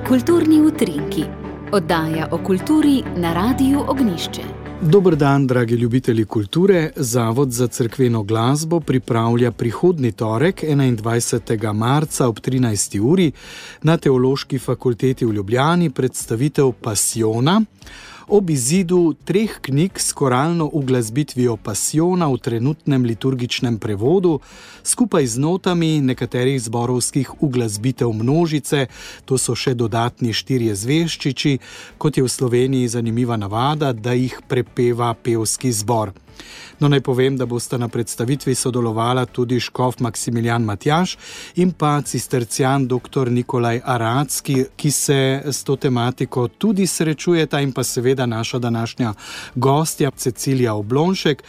Kulturni utrinki. Oddaja o kulturi na Radiu Ognjišče. Dober dan, dragi ljubitelji kulture. Zavod za cerkveno glasbo pripravlja prihodnji torek, 21. marca ob 13. uri na Teološki fakulteti v Ljubljani predstavitev Pasijona ob izidu 3 knjig s koralno uglasbitvijo Pasijona v trenutnem liturgičnem prevodu, skupaj z notami nekaterih zborovskih uglasbitev množice, to so še dodatni 4 zvežčiči, kot je v Sloveniji zanimiva navada, da jih prepeva pevski zbor. No, naj povem, da bosta na predstavitvi sodelovala tudi škof Maksimilijan Matjaž in pa cistercijan dr. Nikolaj Aracki, ki se s to tematiko tudi srečujeta, in pa seveda naša današnja gostja Cecilija Oblonšek,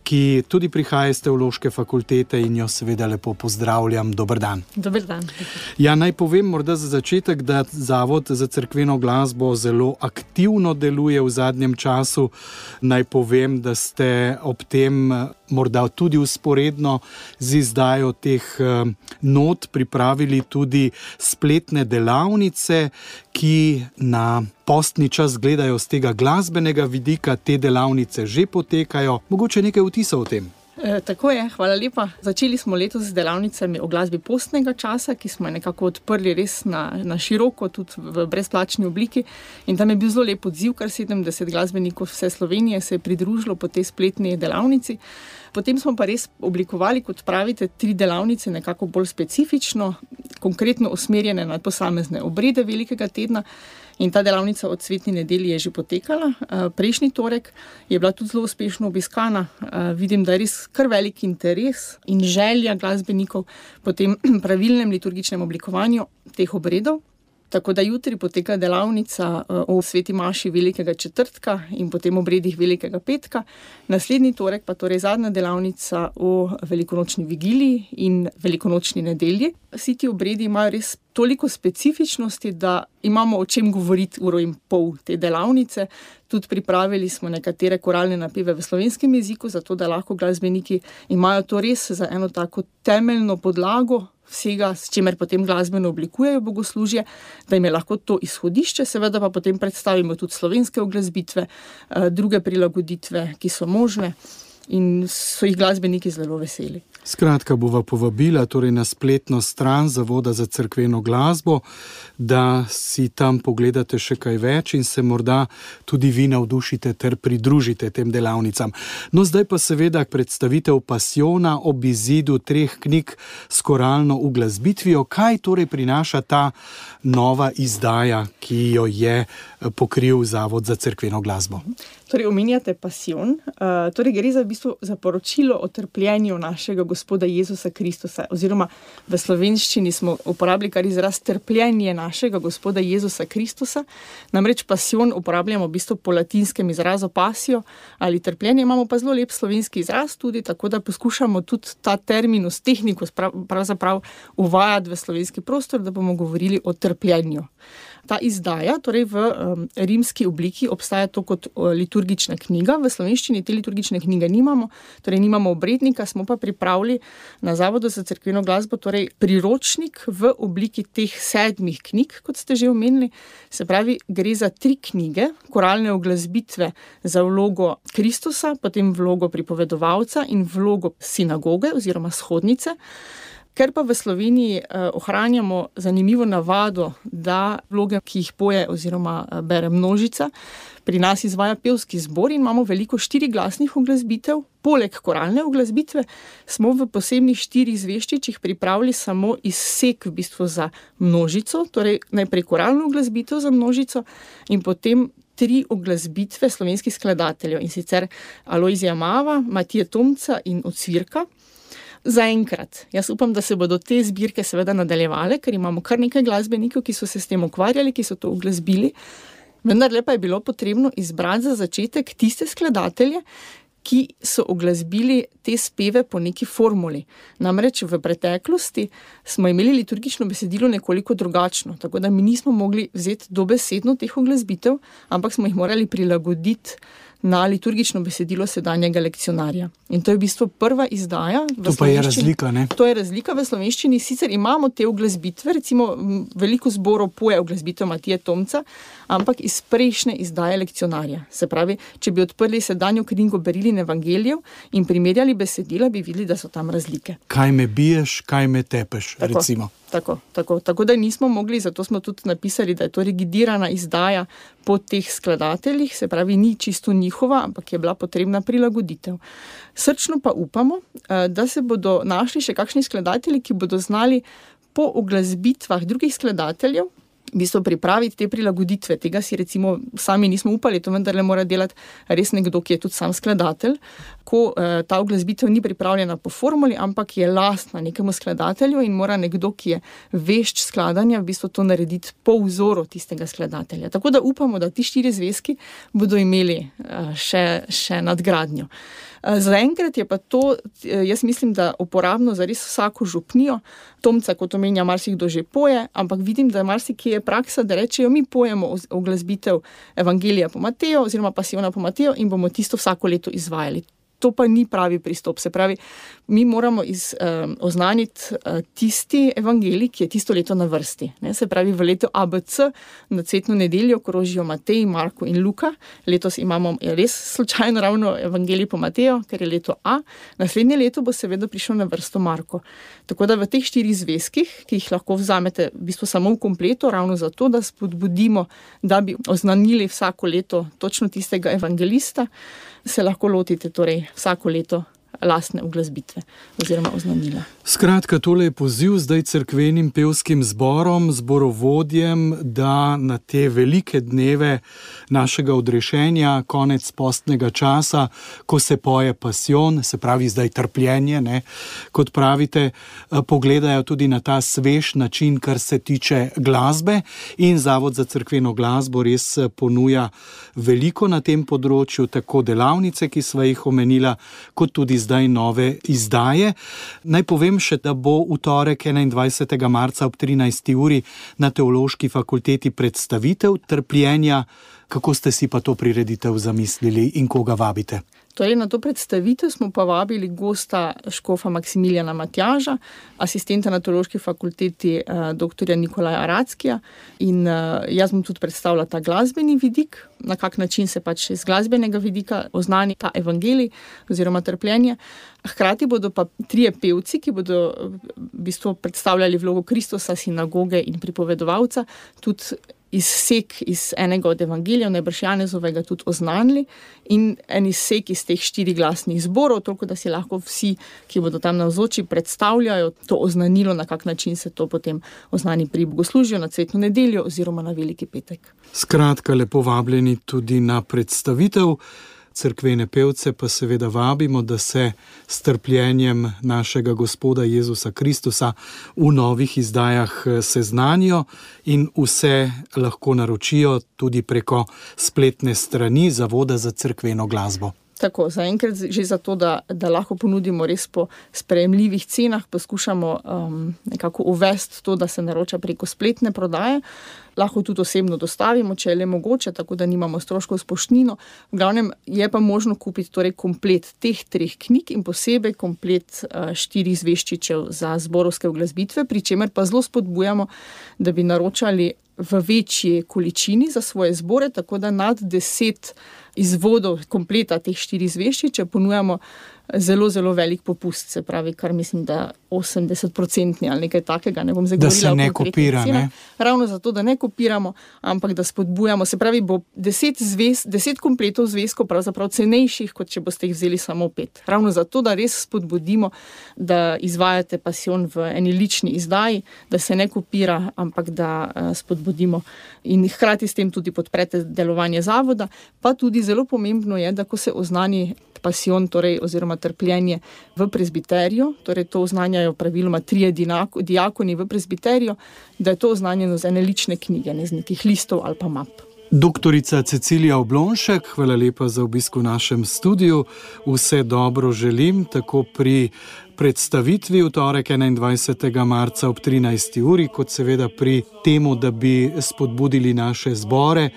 ki tudi prihaja iz Teološke fakultete in jo seveda lepo pozdravljam. Dober dan. Dober dan. Ja, naj povem morda za začetek, da Zavod za cerkveno glasbo zelo aktivno deluje v zadnjem času. Naj povem, da ste ob tem morda tudi vzporedno z izdajo teh not pripravili tudi spletne delavnice, ki na postni čas gledajo z tega glasbenega vidika. Te delavnice že potekajo. Mogoče nekaj vtisov o tem? Tako je, hvala lepa. Začeli smo letos z delavnicami o glasbi postnega časa, ki smo nekako odprli res na široko, tudi v brezplačni obliki. In tam je bil zelo lep odziv, kar 70 glasbenikov vse Slovenije se je pridružilo po tej spletni delavnici. Potem smo pa res oblikovali, kot pravite, 3 delavnice nekako bolj specifično, konkretno usmerjene na posamezne obrede velikega tedna. In ta delavnica od Svetni nedelji je že potekala. Prejšnji torek je bila tudi zelo uspešno obiskana. Vidim, da je res kar velik interes in želja glasbenikov po tem pravilnem liturgičnem oblikovanju teh obredov. Tako da jutri poteka delavnica o sveti maši velikega četrtka in potem obredih velikega petka. Naslednji torek pa torej zadnja delavnica o velikonočni vigiliji in velikonočni nedelji. Vsi ti obredi imajo res toliko specifičnosti, da imamo o čem govoriti 1,5 ure te delavnice. Tudi pripravili smo nekatere koralne napeve v slovenskem jeziku, zato da lahko glasbeniki imajo to res za eno tako temeljno podlago vsega, s čimer potem glasbeno oblikujejo bogoslužje, da jim je lahko to izhodišče, seveda pa potem predstavimo tudi slovenske uglasbitve, druge prilagoditve, ki so možne, in so jih glasbeniki zelo veseli. Skratka, bova povabila torej na spletno stran Zavoda za cerkveno glasbo, da si tam pogledate še kaj več in se morda tudi vi navdušite ter pridružite tem delavnicam. No, zdaj pa seveda predstavitev Pasijona ob izidu 3 knjig s koralno uglasbitvijo. Kaj torej prinaša ta nova izdaja, ki jo je pokril Zavod za cerkveno glasbo? Torej, omenjate Pasijon. Torej, gre v bistvu za poročilo o trpljenju našega Gospoda Jezusa Kristusa, oziroma v slovenščini smo uporabili kar izraz trpljenje našega Gospoda Jezusa Kristusa. Namreč Pasijon uporabljamo v bistvu po latinskem izrazu pasio ali trpljenje, imamo pa zelo lep slovenski izraz tudi, tako da poskušamo tudi ta terminus tehnikus pravzaprav uvajati v slovenski prostor, da bomo govorili o trpljenju. Ta izdaja, torej v rimski obliki, obstaja to kot liturgična knjiga. V slovenščini te liturgične knjige nimamo, torej nimamo obrednika, smo pa pripravili na Zavodu za cerkveno glasbo torej priročnik v obliki teh 7 knjig, kot ste že omenili. Se pravi, gre za 3 knjige, koralne uglasbitve za vlogo Kristusa, potem vlogo pripovedovalca in vlogo sinagoge oziroma shodnice. Ker pa v Sloveniji ohranjamo zanimivo navado, da vloge, ki jih poje oziroma bere množica, pri nas izvaja pevski zbor in imamo veliko 4 glasnih uglasbitev. Poleg koralne uglasbitve smo v posebnih 4 zvežčičih pripravili samo izsek v bistvu za množico, torej najprej koralno uglasbitev za množico in potem 3 uglasbitve slovenskih skladateljev, in sicer Alojzija Mava, Matije Tomca in Ocvirka. Zaenkrat. Jaz upam, da se bodo te zbirke seveda nadaljevale, ker imamo kar nekaj glasbenikov, ki so se s tem ukvarjali, ki so to uglasbili. Vendar pa je bilo potrebno izbrati za začetek tiste skladatelje, ki so uglasbili te speve po neki formuli. Namreč v preteklosti smo imeli liturgično besedilo nekoliko drugačno, tako da mi nismo mogli vzeti dobesedno teh uglasbitev, ampak smo jih morali prilagoditi na liturgično besedilo sedanjega lekcionarja. In to je v bistvu prva izdaja. To pa je razlika, ne? To je razlika v slovenščini. Sicer imamo te uglasbitve, recimo veliko zborov poje uglasbitev Matije Tomca, ampak iz prejšnje izdaje lekcionarja. Se pravi, če bi odprli sedanjo knjigo Berilin evangelijev in primerjali besedila, bi videli, da so tam razlike. Kaj me biješ, kaj me tepeš, recimo. Tako da nismo mogli, zato smo tudi napisali, da je to rigidirana izdaja po teh skladateljih, se pravi, ni čisto njihova, ampak je bila potrebna prilagoditev. Srčno pa upamo, da se bodo našli še kakšni skladatelji, ki bodo znali po uglasbitvah drugih skladateljev v bistvu pripraviti te prilagoditve. Tega si recimo sami nismo upali, to vendarle mora delati res nekdo, ki je tudi sam skladatelj, ko ta uglasbitev ni pripravljena po formuli, ampak je lastna nekemu skladatelju in mora nekdo, ki je vešč skladanja, v bistvu to narediti po vzoru tistega skladatelja. Tako da upamo, da ti 4 zvezki bodo imeli še nadgradnjo. Zaenkrat je pa to, jaz mislim, da uporabno za res vsako župnijo. Tomca, kot omenja, marsikdo že poje, ampak vidim, da marsikje je praksa, da rečejo, mi pojemo uglasbitev Evangelija po Mateju oziroma Pasijona po Mateju in bomo tisto vsako leto izvajali. To pa ni pravi pristop. Se pravi, mi moramo oznaniti tisti evangelij, ki je tisto leto na vrsti. Se pravi, v letu ABC na cvetno nedeljo krožijo Matej, Marko in Luka. Letos imamo res slučajno ravno evangelij po Mateju, ker je leto A. Naslednje leto bo seveda prišel na vrsto Marko. Tako da v teh 4 zvezkih, ki jih lahko vzamete v bistvu samo v kompletu, ravno zato, da spodbudimo, da bi oznanili vsako leto točno tistega evangelista, se lahko lotite torej vsako leto lastne uglasbitve oziroma oznanila. Skratka, tole je poziv zdaj cerkvenim pevskim zborom, zborovodjem, da na te velike dneve našega odrešenja, konec postnega časa, ko se poje pasijon, se pravi zdaj trpljenje, ne, kot pravite, pogledajo tudi na ta svež način, kar se tiče glasbe, in Zavod za cerkveno glasbo res ponuja veliko na tem področju, tako delavnice, ki sva jih omenila, kot tudi zdaj nove izdaje. Naj povem še, da bo v torek 21. marca ob 13. uri na Teološki fakulteti predstavitev trpljenja. Kako ste si pa to prireditev zamislili in koga vabite? Torej, na to predstavitev smo pa vabili gosta škofa Maksimiljana Matjaža, asistenta na Teološki fakulteti dr. Nikolaja Rackija, in jaz bom tudi predstavila ta glasbeni vidik, na kak način se pač iz glasbenega vidika oznani ta evangelij oziroma trpljenje. Hkrati bodo pa 3 pevci, ki bodo v bistvu predstavljali vlogo Kristusa, sinagoge in pripovedovalca, tudi izsek iz enega od evangelijev, najbrž Janezovega, tudi oznanili, in en izsek iz teh 4 glasnih zborov, toliko da si lahko vsi, ki bodo tam navzoči, predstavljajo to oznanilo, na kak način se to potem oznani pri bogoslužju na cvetno nedeljo oziroma na veliki petek. Skratka, lepo vabljeni tudi na predstavitev. Cerkvene pevce pa seveda vabimo, da se s trpljenjem našega Gospoda Jezusa Kristusa v novih izdajah seznanijo in vse lahko naročijo tudi preko spletne strani Zavoda za cerkveno glasbo. Tako, zaenkrat že zato, da lahko ponudimo res po sprejemljivih cenah, poskušamo nekako uvesti to, da se naroča preko spletne prodaje. Lahko tudi osebno dostavimo, če je le mogoče, tako da nimamo stroškov s poštnino. V glavnem je pa možno kupiti torej komplet teh 3 knjig in posebej komplet 4 zvežčičev za zborovske uglasbitve, pri čemer pa zelo spodbujamo, da bi naročali v večji količini za svoje zbore, tako da nad 10 izvodov kompleta teh 4 zvežčiče ponujamo zelo, zelo velik popust, se pravi, kar mislim, da 80% ali nekaj takega, ne bom zdaj govorila. Da se ne kopira, ne? Ravno zato, da ne kopiramo, ampak da spodbujamo, se pravi, bo 10 kompletov zvezkov pravzaprav cenejših, kot če boste jih vzeli samo 5. Ravno zato, da res spodbudimo, da izvajate pasijon v eni lični izdaji, da se ne kopira, ampak da spodbudimo in hkrati s tem tudi podprete delovanje zavoda. Pa tudi zelo pomembno je, da ko se oznani pasijon, torej oziroma trpljenje v prezbiteriju, torej to oznanjajo praviloma 3 diakoni v prezbiteriju, da je to oznanjeno z ene lične knjige, ne z nekih listov ali pa map. Doktorica Cecilija Oblonšek, hvala lepa za obisk v našem studiu. Vse dobro želim, tako pri predstavitvi v torek 21. marca ob 13. uri, kot seveda pri temu, da bi spodbudili naše zbore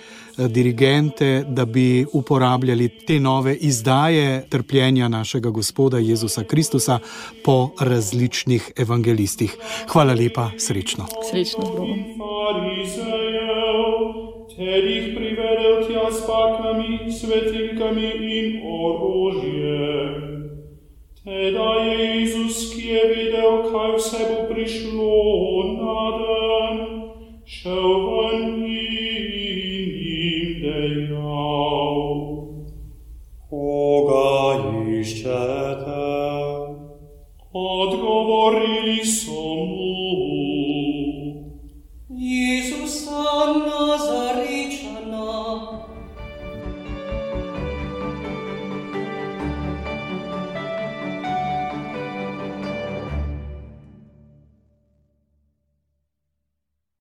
dirigente, da bi uporabljali te nove izdaje trpljenja našega Gospoda Jezusa Kristusa po različnih evangelistih. Hvala lepa, srečno. Srečno z Bogom. Ter jih privedel tja s baklami, svetilkami in orožjem. Teda je Jezus, ki je videl, kaj vse bo prišlo na dan, šel ven in jim dejal: Koga iščete?